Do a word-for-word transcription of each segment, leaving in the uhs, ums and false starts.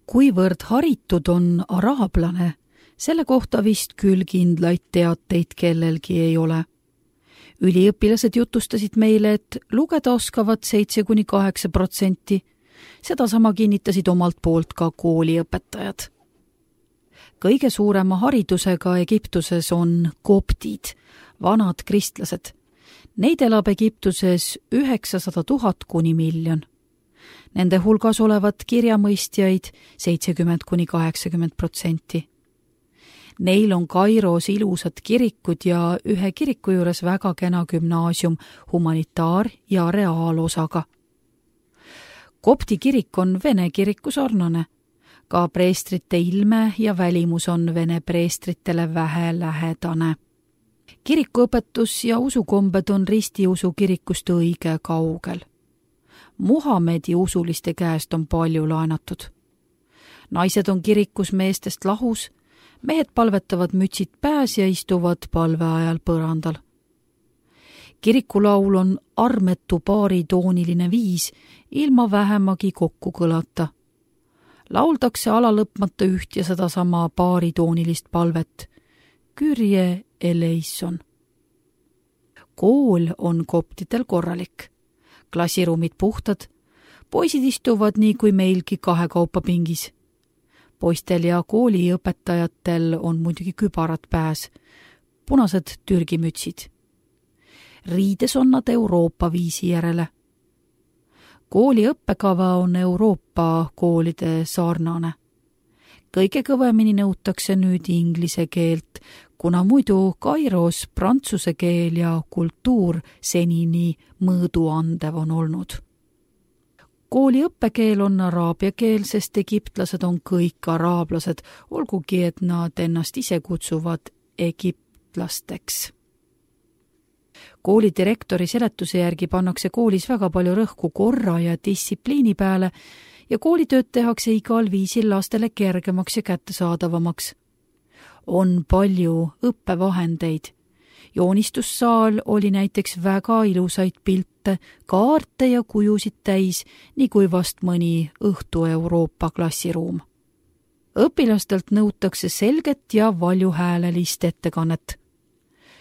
Kuivõrd haritud on araablane, selle kohta vist küll kindlaid teateid kellelgi ei ole. Üliõpilased jutustasid meile, et lugeda oskavad seitse kuni kaheksa protsenti. Seda sama kinnitasid omalt poolt ka kooliõpetajad. Kõige suurema haridusega Egiptuses on koptid, vanad kristlased. Neid elab Egiptuses üheksasada tuhat kuni miljon. Nende hulgas olevat kirjamõistjaid seitsekümmend kuni kaheksakümmend protsenti. Neil on Kairos ilusad kirikud ja ühe kiriku juures väga kena gümnaasium humanitaar- ja reaalosaga. Kopti kirik on vene kiriku sarnane. Ka preestrite ilme ja välimus on vene preestritele vähe lähedane. Kirikuõpetus ja usukombed on ristiusu kirikust õige kaugel. Muhamedi usuliste käest on palju laenatud. Naised on kirikus meestest lahus, mehed palvetavad mütsid pääs ja istuvad palve ajal põrandal. Kirikulaul on armetu baaritooniline viis, ilma vähemagi kokku kõlata. Lauldakse alalõpmata üht ja sedasama baaritoonilist palvet. Kürje eleison. Kool on koptidel korralik. Klassiruumid puhtad, poisid istuvad nii kui meilgi kahekaupa pingis. Poistel ja kooliõpetajatel on muidugi kübarad pääs, punased türgimütsid. Riides on nad Euroopa viisi järele. Kooli õppekava on Euroopa koolide sarnane. Kõige kõvemini nõutakse nüüd inglise keelt, kuna muidu Kairos prantsuse keel ja kultuur senini mõõduandev on olnud. Kooli õppekeel on araabia keel, sest egiptlased on kõik araablased, olgugi et nad ennast ise kutsuvad egiptlasteks. Kooli direktori seletuse järgi pannakse koolis väga palju rõhku korra ja distsipliini peale ja koolitööd tehakse igal viisil lastele kergemaks ja kättesaadavamaks. On palju õppevahendeid. Joonistussaal oli näiteks väga ilusaid pilte, kaarte ja kujusid täis, nii kui vast mõni õhtu Euroopa klassiruum. Õpilastelt nõutakse selget ja valjuhäälelist ettekannet.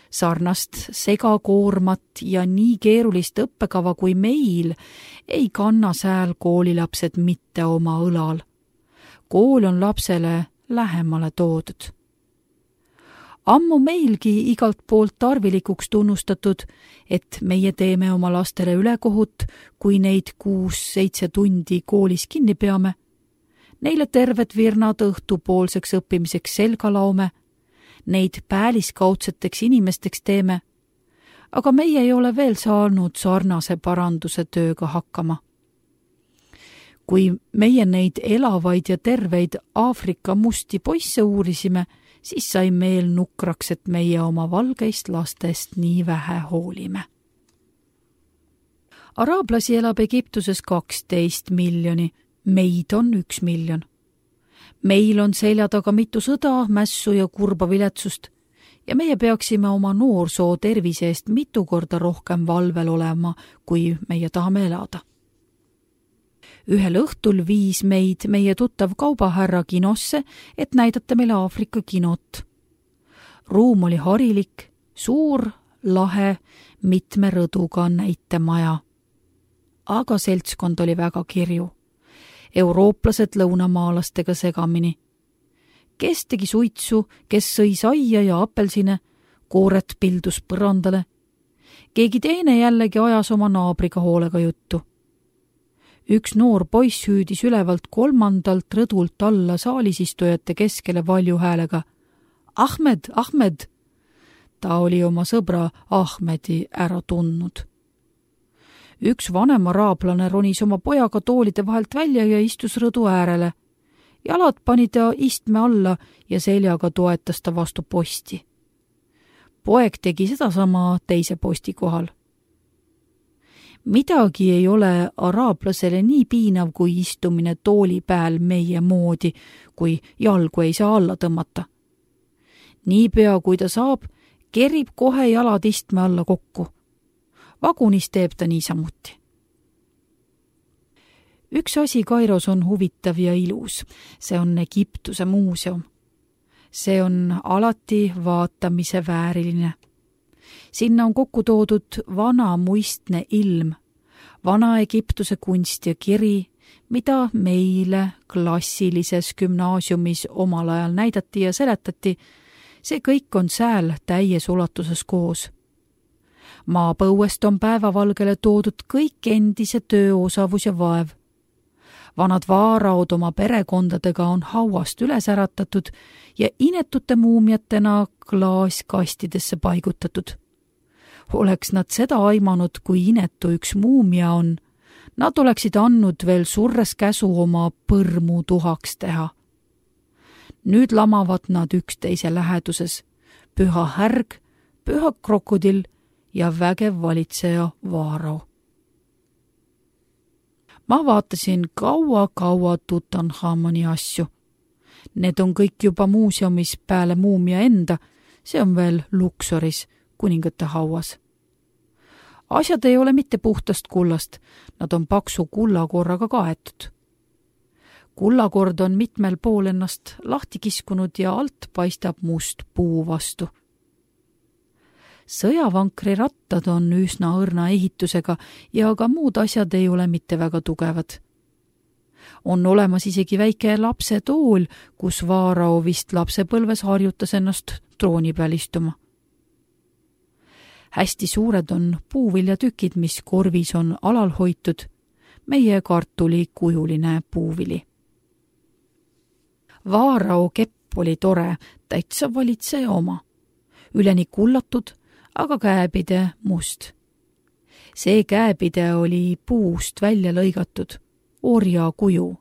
Sarnast segakoormat ja nii keerulist õppekava kui meil ei kanna sääl koolilapsed mitte oma õlal. Kool on lapsele lähemale toodud. Ammu meilgi igalt poolt tarvilikuks tunnustatud, et meie teeme oma lastele ülekohut, kui neid kuus-seitse tundi koolis kinni peame. Neile terved virnad õhtupoolseks õppimiseks selga laume, neid pääliskaudseteks inimesteks teeme, aga meie ei ole veel saanud sarnase paranduse tööga hakkama. Kui meie neid elavaid ja terveid Aafrika musti poisse uurisime, siis sai meel nukraks, et meie oma valgeist lastest nii vähe hoolime. Araablasi elab Egiptuses kaksteist miljoni, meid on üks miljon. Meil on selja taga mitu sõda, mässu ja kurba viletsust ja meie peaksime oma noorsoo tervise eest mitu korda rohkem valvel olema, kui meie tahame elada. Ühel õhtul viis meid meie tuttav kaubahärra kinosse, et näidata meile Aafrika kinot. Ruum oli harilik, suur, lahe, mitme rõduga näitemaja. Aga seltskond oli väga kirju. Eurooplased lõunamaalastega segamini. Kes tegi suitsu, kes sõi saia ja apelsine, kooret pildus põrandale. Keegi teine jällegi ajas oma naabriga hoolega juttu. Üks noor poiss hüüdis ülevalt kolmandalt rõdult alla saalisistujate keskele valju häälega. Ahmed, Ahmed! Ta oli oma sõbra Ahmedi ära tundnud. Üks vanem araablane ronis oma pojaga toolide vahelt välja ja istus rõdu äärele. Jalad pani ta istme alla ja seljaga toetas ta vastu posti. Poeg tegi sedasama teise posti kohal. Midagi ei ole araablasele nii piinav kui istumine tooli pääl meie moodi, kui jalgu ei saa alla tõmmata. Niipea kui ta saab, kerib kohe jalad istme alla kokku. Vagunis teeb ta niisamuti. Üks asi Kairos on huvitav ja ilus. See on Egiptuse muuseum. See on alati vaatamise vääriline. Sinna on kokku toodud vana muistne ilm, vana Egiptuse kunst ja kiri, mida meile klassilises gümnaasiumis omal ajal näidati ja seletati. See kõik on sääl täies ulatuses koos. Maapõuest on päevavalgele toodud kõik endise tööosavus ja vaev. Vanad vaaraod oma perekondadega on hauast üles äratatud ja inetute muumiatena klaaskastidesse paigutatud. Oleks nad seda aimanud, kui inetu üks muumia on, nad oleksid andnud veel surres käsu oma põrmu tuhaks teha. Nüüd lamavad nad üksteise läheduses, püha härg, püha krokodill ja vägev valitseja Vaarao. Ma vaatasin kaua-kaua Tutankhamoni asju. Need on kõik juba muuseumis peale muumia enda, see on veel Luxoris, kuningate hauas. Asjad ei ole mitte puhtast kullast, nad on paksu kullakorraga kaetud. Kullakord on mitmel pool ennast lahti kiskunud ja alt paistab must puu vastu. Sõjavankri rattad on üsna õrna ehitusega ja ka muud asjad ei ole mitte väga tugevad. On olemas isegi väike lapsetool, kus Vaarao vist lapsepõlves harjutas ennast trooni peal istuma. Hästi suured on puuviljatükid, mis korvis on alal hoitud, meie kartuli kujuline puuvili. Vaarao kepp oli tore, täitsa valitseja oma. Üleni kullatud, aga käepide must. See käepide oli puust välja lõigatud, orja kuju,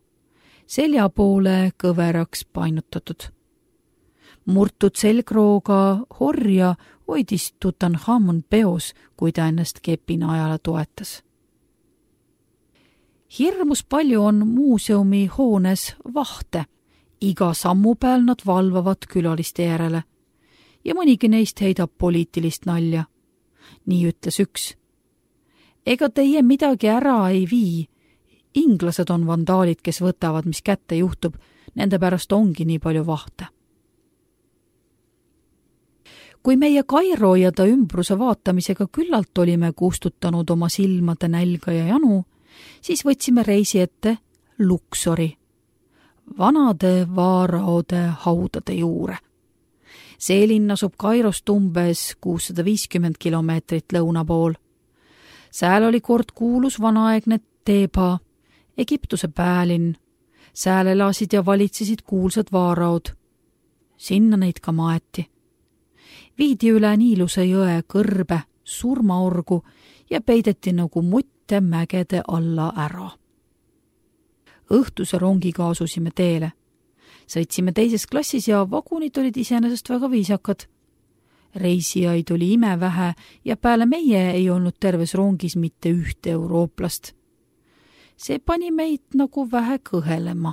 selja poole kõveraks painutatud. Murtud selgrooga horja hoidis Tutankhamon peos, kui ta ennast kepina ajale toetas. Hirmus palju on muuseumi hoones vahte. Iga sammu peal nad valvavad külaliste järele ja mõnigi neist heidab poliitilist nalja. Nii ütles üks. Ega teie midagi ära ei vii. Inglased on vandaalid, kes võtavad, mis kätte juhtub. Nende pärast ongi nii palju vahte. Kui meie Kairo ja ta ümbruse vaatamisega küllalt olime kustutanud oma silmade nälga ja janu, siis võtsime reisi ette Luxori, vanade vaaraode haudade juure. See linn asub Kairost umbes kuussada viiskümmend kilomeetrit lõuna pool. Sääl oli kord kuulus vanaaegne Teeba, Egiptuse päälinn. Sääl elasid ja valitsesid kuulsad vaaraod. Sinna neid ka maeti. Viidi üle Niiluse jõe kõrbe, surmaorgu ja peideti nagu mutte mägede alla ära. Õhtuse rongiga asusime teele. Sõitsime teises klassis ja vagunid olid iseenesest väga viisakad. Reisijaid oli imevähe ja peale meie ei olnud terves rongis mitte ühte eurooplast. See pani meid nagu vähe kõhelema.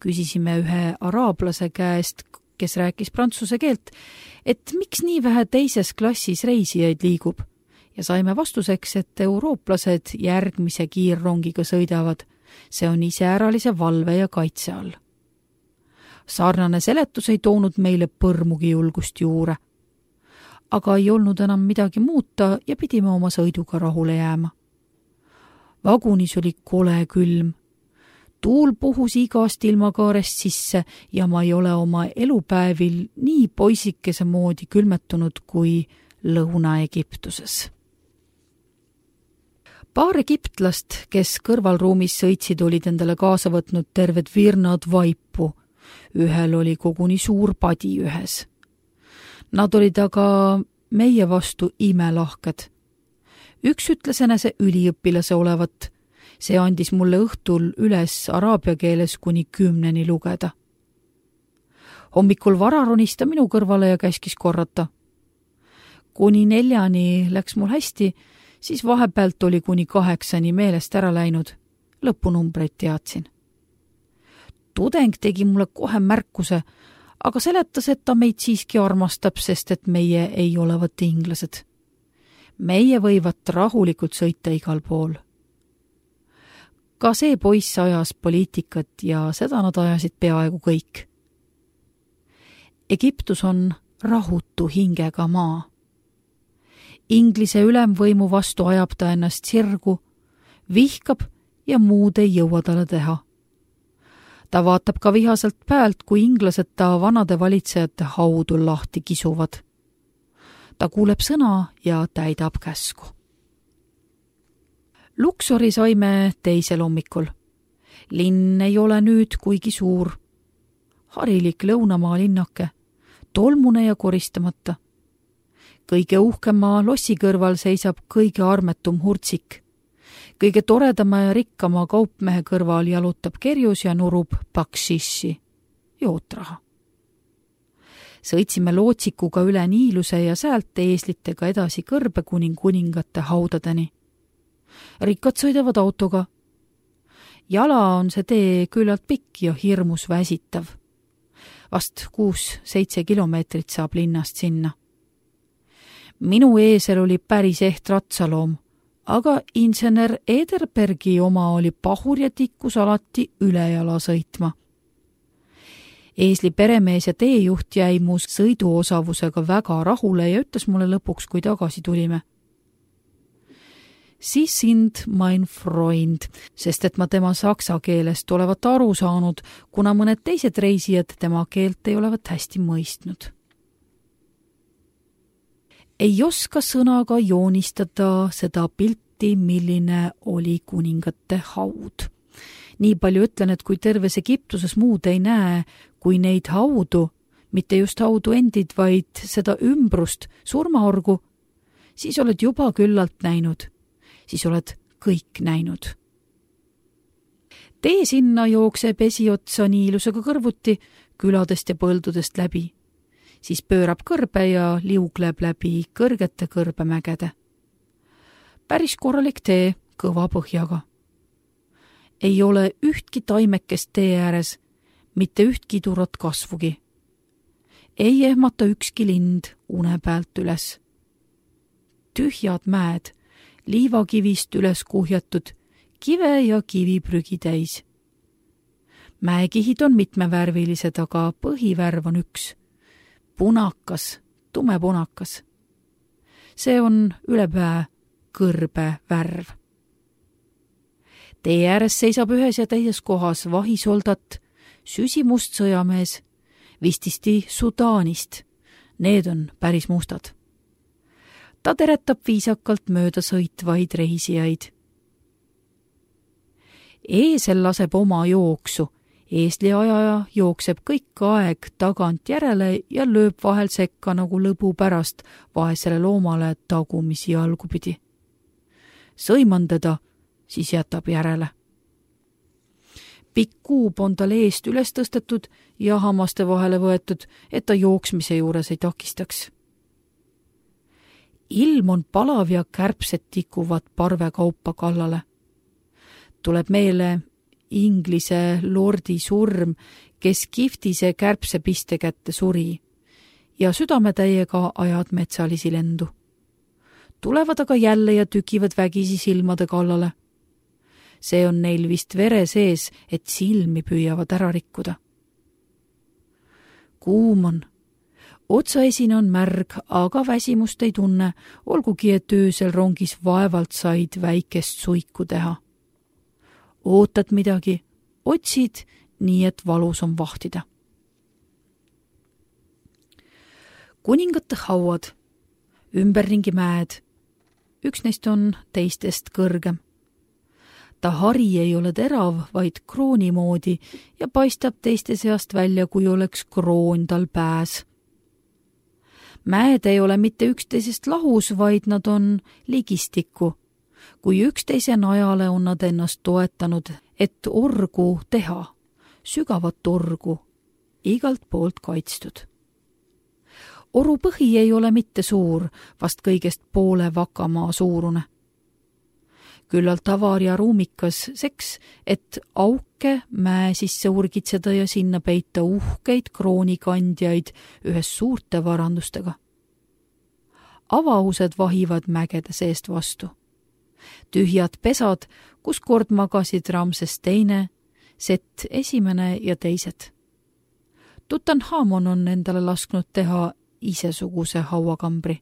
Küsisime ühe araablase käest, kes rääkis prantsuse keelt, et miks nii vähe teises klassis reisijaid liigub ja saime vastuseks, et eurooplased järgmise kiirrongiga sõidavad. See on iseäralise valve ja kaitse all. Sarnane seletus ei toonud meile põrmugi julgust juure. Aga ei olnud enam midagi muuta ja pidime oma sõiduga rahule jääma. Vagunis oli kole külm. Tuul puhus igast ilmakaarest sisse ja ma ei ole oma elupäevil nii poisikese moodi külmetunud kui Lõuna-Egiptuses. Paar egiptlast, kes kõrvalruumis sõitsid, olid endale kaasa võtnud terved virnad vaipu. Ühel oli koguni suur padi ühes. Nad olid aga meie vastu imelahked. Üks ütles enese üliõpilase olevat. See andis mulle õhtul üles araabia keeles kuni kümneni lugeda. Hommikul vara ronis ta minu kõrvale ja käskis korrata. Kuni neljani läks mul hästi, siis vahepealt oli kuni kaheksani meelest ära läinud. Lõpunumbreid teadsin. Tudeng tegi mulle kohe märkuse, aga seletas, et ta meid siiski armastab, sest et meie ei olevat inglased. Meie võivad rahulikult sõita igal pool. Ka see poiss ajas poliitikat ja seda nad ajasid peaaegu kõik. Egiptus on rahutu hingega maa. Inglise ülemvõimu vastu ajab ta ennast sirgu, vihkab ja muud ei jõua talle teha. Ta vaatab ka vihaselt pealt, kui inglased ta vanade valitsejate haudu lahti kisuvad. Ta kuuleb sõna ja täidab käsku. Luxori saime teisel hommikul. Linn ei ole nüüd kuigi suur. Harilik lõunamaa linnake, tolmune ja koristamata. Kõige uhkema lossi kõrval seisab kõige armetum hurtsik. Kõige toredama ja rikkama kaupmehe kõrval jalutab kerjus ja nurub baksissi, jootraha. Sõitsime lootsikuga üle Niiluse ja säält eeslitega edasi kõrbe kuning kuningate haudadeni. Rikkad sõidavad autoga. Jala on see tee küllalt pikk ja hirmus väsitav. Vast kuus-seitse kilomeetrit saab linnast sinna. Minu eesel oli päris eht ratsaloom, aga insener Ederbergi oma oli pahur ja tikkus alati ülejala sõitma. Eesli peremees ja teejuht jäi mu sõiduosavusega väga rahule ja ütles mulle lõpuks, kui tagasi tulime. Sie sind mein Freund, sest et ma tema saksa keelest olevat aru saanud, kuna mõned teised reisijad tema keelt ei olevat hästi mõistnud. Ei oska sõnaga joonistada seda pilti, milline oli kuningate haud. Nii palju ütlen, et kui terves Egiptuses muud ei näe, kui neid haudu, mitte just haudu endid, vaid seda ümbrust, surmaorgu, siis oled juba küllalt näinud. Siis oled kõik näinud. Tee sinna jookseb esiotsa Niilusega kõrvuti, küladest ja põldudest läbi. Siis pöörab kõrbe ja liugleb läbi kõrgete kõrbemägede. Päris korralik tee kõva põhjaga. Ei ole ühtki taimekest tee ääres, mitte ühtki turot kasvugi. Ei ehmata ükski lind une pealt üles. Tühjad mäed, liivakivist üles kuhjatud, kive ja kiviprügi täis. Mäekihid on mitmevärvilised, aga põhivärv on üks. Punakas, tumepunakas. See on ülepää kõrbe värv. Tee ääres seisab ühes ja teises kohas vahisoldat, süsimust sõjamees, vististi Sudaanist. Need on päris mustad. Ta teretab viisakalt mööda sõitvaid reisijaid. Eesel laseb oma jooksu. Eesli ajaja jookseb kõik aeg tagant järele ja lööb vahel sekka nagu lõbu pärast vaesele loomale tagumisi jalgu pidi. Sõiman teda, siis jätab järele. Pikk kuub on tal eest üles tõstetud ja hammaste vahele võetud, et ta jooksmise juures ei takistaks. Ilm on palav ja kärbsed tikuvad parvekaupa kallale. Tuleb meele Inglise lordi surm, kes kiftise kärbse piste kätte suri ja südametäiega ajad metsalisi lendu. Tulevad aga jälle ja tükivad vägisi silmade kallale. See on neil vist vere sees, et silmi püüavad ära rikkuda. Kuum on. Otsaesine on märg, aga väsimust ei tunne, olgugi et öösel rongis vaevalt said väikest suiku teha. Ootad midagi, otsid, nii et valus on vahtida. Kuningate hauad, ümberringi mäed, üks neist on teistest kõrgem. Ta hari ei ole terav, vaid krooni moodi ja paistab teiste seast välja, kui oleks kroon tal pääs. Mäed ei ole mitte üksteisest lahus, vaid nad on ligistikku. Kui üksteise najale on nad ennast toetanud, et orgu teha, sügavat orgu, igalt poolt kaitstud. Oru põhi ei ole mitte suur, vast kõigest poole vakamaa suurune. Küllalt avar ja ruumikas seks, et auke mäe sisse urgitseda ja sinna peita uhkeid kroonikandjaid ühes suurte varandustega. Avaused vahivad mägede seest vastu. Tühjad pesad, kus kord magasid Ramses teine, Set esimene ja teised. Tutanhamon on endale lasknud teha isesuguse hauakambri.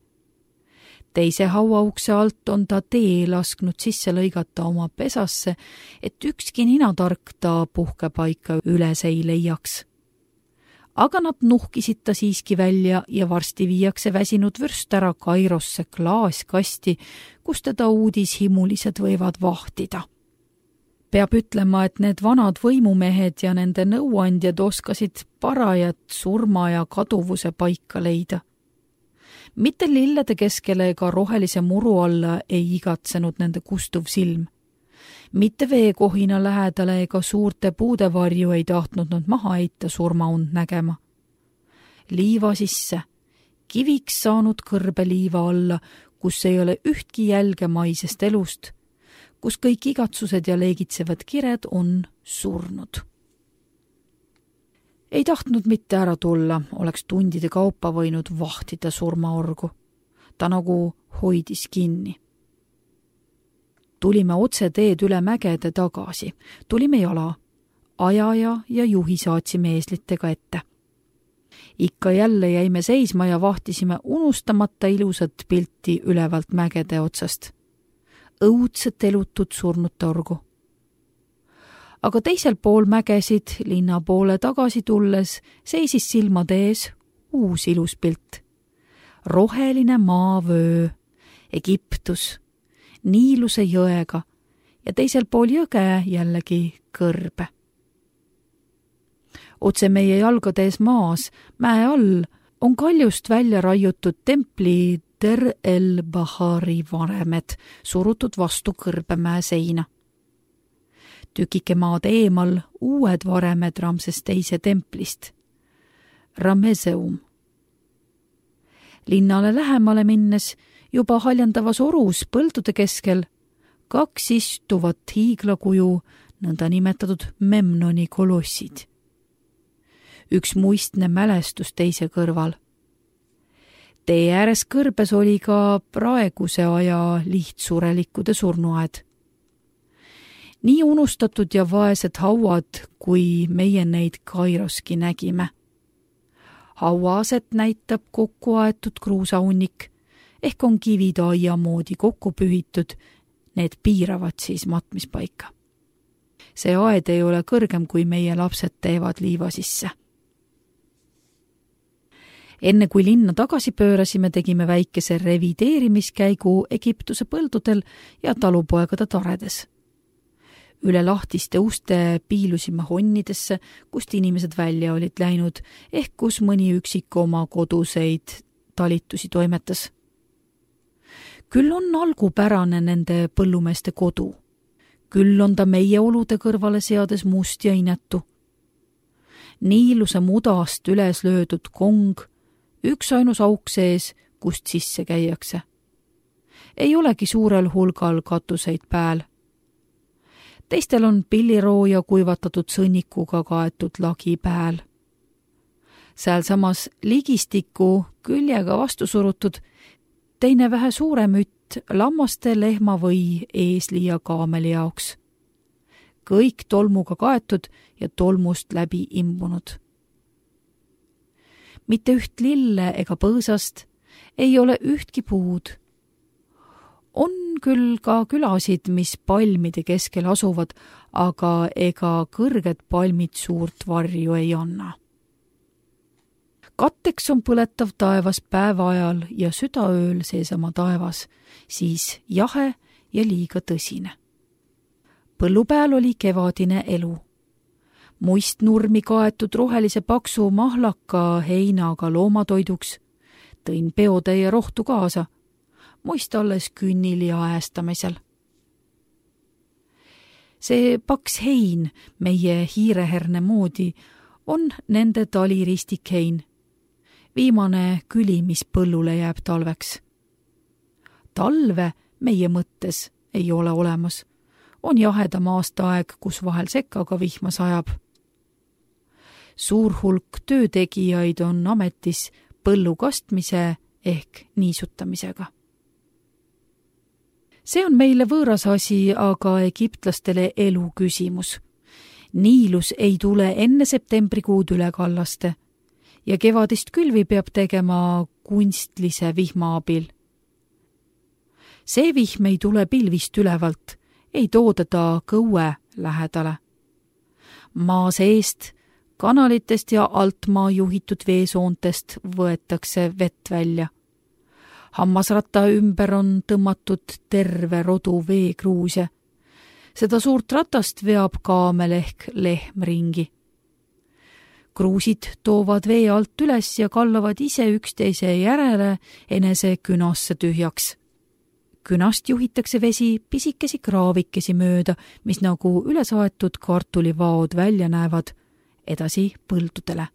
Teise hauaukse alt on ta tee lasknud sisse lõigata oma pesasse, et ükski ninatark ta puhkepaika üles ei leiaks. Aga nad nuhkisid ta siiski välja ja varsti viiakse väsinud vürst ära Kairosse klaaskasti, kus teda uudishimulised võivad vahtida. Peab ütlema, et need vanad võimumehed ja nende nõuandjad oskasid parajat surma ja kaduvuse paika leida. Mitte lillede keskele ega rohelise muru alla ei igatsenud nende kustuv silm. Mitte veekohina lähedale ega suurte puude varju ei tahtnud nad maha heita surmaund nägema. Liiva sisse, kiviks saanud kõrbe liiva alla, kus ei ole ühtki jälge maisest elust, kus kõik igatsused ja leegitsevad kired on surnud. Ei tahtnud mitte ära tulla, oleks tundide kaupa võinud vahtida surmaorgu. Ta nagu hoidis kinni. Tulime otse teed üle mägede tagasi. Tulime jala. Ajaja ja juhi saatsime eeslitega ette. Ikka jälle jäime seisma ja vahtisime unustamata ilusat pilti ülevalt mägede otsast. Õudset elutud surnute orgu. Aga teisel pool mägesid, linna poole tagasi tulles, seisis silmade ees uus ilus pilt. Roheline maavöö, Egiptus, Niiluse jõega ja teisel pool jõge jällegi kõrbe. Otse meie jalgade ees maas, mäe all, on kaljust välja raiutud templi Der el-Bahari varemed, surutud vastu kõrbemäe seina. Tükike maad eemal uued varemed Ramses teise templist. Rameseum. Linnale lähemale minnes, juba haljandavas orus põldude keskel, kaks istuvat hiiglakuju, nõnda nimetatud Memnoni kolossid. Üks muistne mälestus teise kõrval. Tee ääres kõrbes oli ka praeguse aja lihtsurelikkude surnuaed. Nii unustatud ja vaesed hauad, kui meie neid Kairoski nägime. Hauaaset näitab kokku aetud kruusaunnik, ehk on kivid aia moodi kokku pühitud, need piiravad siis matmispaika. See aed ei ole kõrgem, kui meie lapsed teevad liiva sisse. Enne kui linna tagasi pöörasime, tegime väikese revideerimiskäigu Egiptuse põldudel ja talupoegade taredes. Üle lahtiste uste piilusime honnidesse, kust inimesed välja olid läinud, ehk kus mõni üksik oma koduseid talitusi toimetas. Küll on algupärane nende põllumeeste kodu. Küll on ta meie olude kõrvale seades must ja inetu. Niiluse mudast üles löödud kong, üks ainus auk sees, kust sisse käiakse. Ei olegi suurel hulgal katuseid pääl. Teistel on pillirooja kuivatatud sõnnikuga kaetud lagi pääl. Sääl samas ligistiku küljega vastu surutud, teine vähe suurem ütt lammaste, lehma või eesli ja kaameli jaoks. Kõik tolmuga kaetud ja tolmust läbi imbunud. Mitte üht lille ega põõsast, ei ole ühtki puud. On küll ka külasid, mis palmide keskel asuvad, aga ega kõrged palmid suurt varju ei anna. Katteks on põletav taevas päeva ajal ja südaööl seesama taevas, siis jahe ja liiga tõsine. Põllupääl oli kevadine elu. Muistnurmi kaetud rohelise paksu mahlaka heinaga loomatoiduks, tõin peotäie rohtu kaasa, muist alles künnil ja äästamisel. See paks hein, meie hiireherne moodi, on nende taliristikhein, viimane küli, mis põllule jääb talveks. Talve meie mõttes ei ole olemas, on jahedam aastaaeg, kus vahel sekkaga vihma sajab. Suur hulk töötegijaid on ametis põllu kastmise ehk niisutamisega. See on meile võõras asi, aga egiptlastele elu küsimus. Niilus ei tule enne septembrikuud üle kallaste ja kevadist külvi peab tegema kunstlise vihma abil. See vihm ei tule pilvist ülevalt, ei tooda ta kõue lähedale. Maa seest, kanalitest ja altmaa juhitud veesoontest võetakse vett välja. Hammasratta ümber on tõmmatud terve rodu veekruuse. Seda suurt ratast veab kaamel ehk lehm ringi. Kruusid toovad vee alt üles ja kallavad ise üksteise järele enese künasse tühjaks. Künast juhitakse vesi pisikesi kraavikesi mööda, mis nagu ülesaetud kartulivaod välja näevad, edasi põldudele.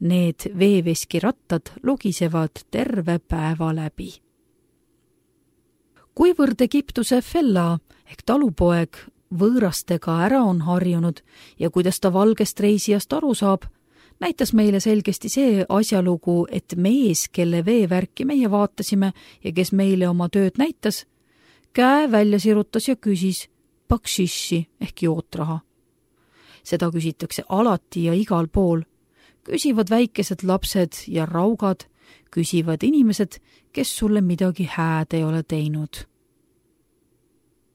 Need veeveskirattad logisevad terve päeva läbi. Kuivõrd Egiptuse fella ehk talupoeg võõrastega ära on harjunud ja kuidas ta valgest reisijast aru saab, näitas meile selgesti see asjalugu, et mees, kelle veevärki meie vaatasime ja kes meile oma tööd näitas, käe välja sirutas ja küsis bakshishi ehk jootraha. Seda küsitakse alati ja igal pool. Küsivad väikesed lapsed ja raugad, küsivad inimesed, kes sulle midagi hääd ei ole teinud.